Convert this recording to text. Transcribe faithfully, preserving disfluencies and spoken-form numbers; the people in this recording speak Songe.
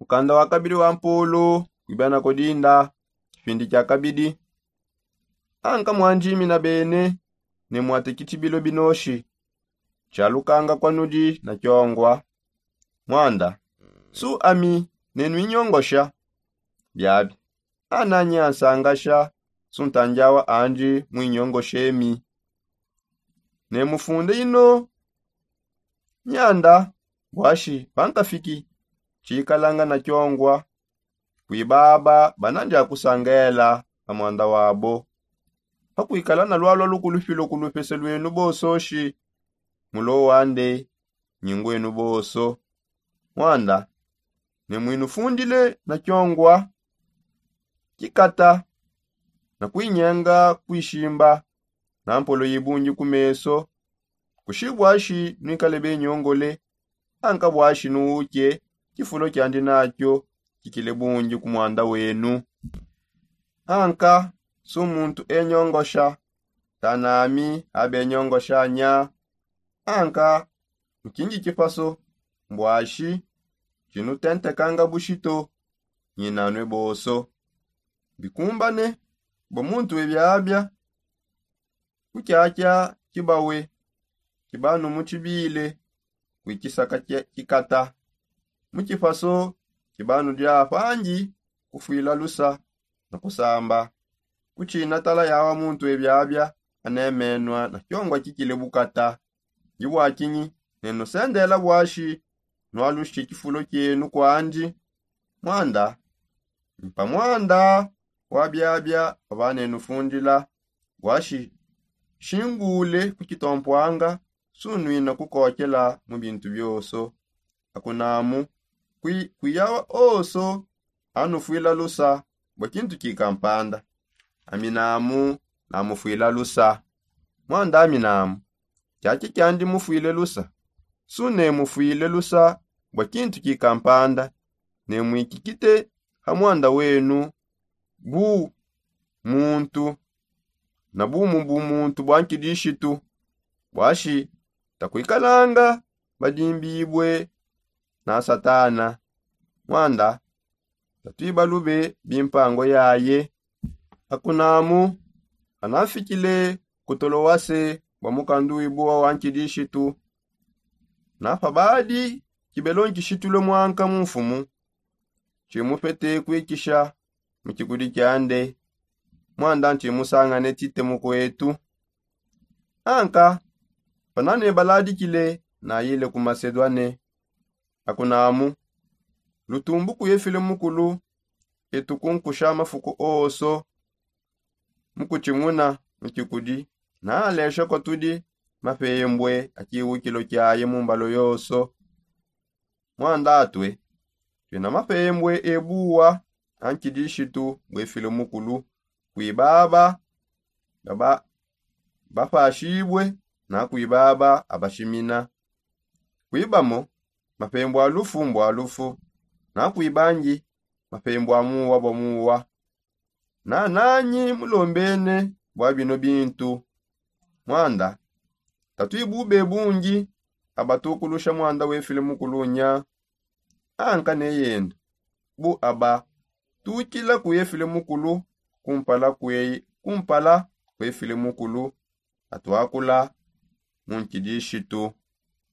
Mukanda wa kabidi wa mpulu, kwibana kodinda, kipindi kia kabidi. Anka mwandimina bene ne mwate kitshibilo binoshi tshia lukanga kwa nudi na kiongwa. Mwanda, su ami ne nuinyongosha biabi, ananyi ansangasha su ntandiawa andi muinyongoshe mi. Ne mufunde ino nyanda bwashi pankafiki tshikalanga na kiongwa. Kuibaba banandi akusangela pa mwanda wabo, pakuikala na lwalwa lukulupi lukulupi se lwenu bososhi. Mulo wande nyingwenu boso. Mwanda, ne mwinufundile na kiongwa kikata na kuinyenga kuishimba na mpolo yibungi ku meso. Kushi bwashi nuikale benyongole, anka bwashi nuuke kifulo kiandi nakio kikile bungi ku mwanda wenu. Anka su muntu enyongosha tanami abenyongosha nya. Anka mu kingi kipaso mbwashi tshinutentekanga bushito nyinanue boso. Bikumbane bua muntu webiabia kukiakia kibawe kibanu mutshibile kuikisaka kikata mu kipaso kibanu dia pangi kufuila lusa na kusamba kutshina tala yawa muntu webiabia anemenua na kiongwa kikile bukata. Ndi bua kinyi nenusendela bwashi nualushi kifulo kienu kuandi? Mwanda mpa mwanda wa biabia pabanenufundila bwashi shingule ku kitompuanga sunuina kukokela mu bintu bioso. Akunamu kuiyawa oso anufuila lusa bua kintu kikampanda. Aminamu namufuila lusa. Mwanda aminamu kiaki kiandi mufuile lusa. Su ne mufuile lusa bua kintu kikampanda ne muikikite ha mwanda wenu bu muntu na bumu bu muntu bua nkidishitu. Bwashi takuikalanga badimbibue na satana. Mwanda tatuibalube bimpango yaye. Akunamu panamfikile ku tolowase bua mukandu wibua wa nkidishitu na pabadi kibelo nkishitule mwanka mu mfumu tshimupete kuikisha mu kikudi kiande. Mwanda ntshimusangane tite mukuetu. Anka panane baladikile nayile ku masedwane. Akunamu lutumbu kuye file mukulu etu kunkusha mafuku oso mukutshimuna mu kikudi naalesha kua tudi mapembue a kiwukilo kiaye mu mbalo yoso. Mwandatue tuena mapembue ebuwa a nkidishitu bue file mukulu kuibaba bapashibue na kuibaba abashimina. Kuibamo mapembua lufu mbua lufu na kuibangi mapembua muwa bua muwa. Nananyi mulombene bua bino bintu. Mwanda tatuibube bungi abatukulusha mwanda wefile mukulu nya. Anka ne yenda bu aba tukila kuye file mukulu kumpala kuye kumpala kuye file mukulu atuakula mu nkidishitu.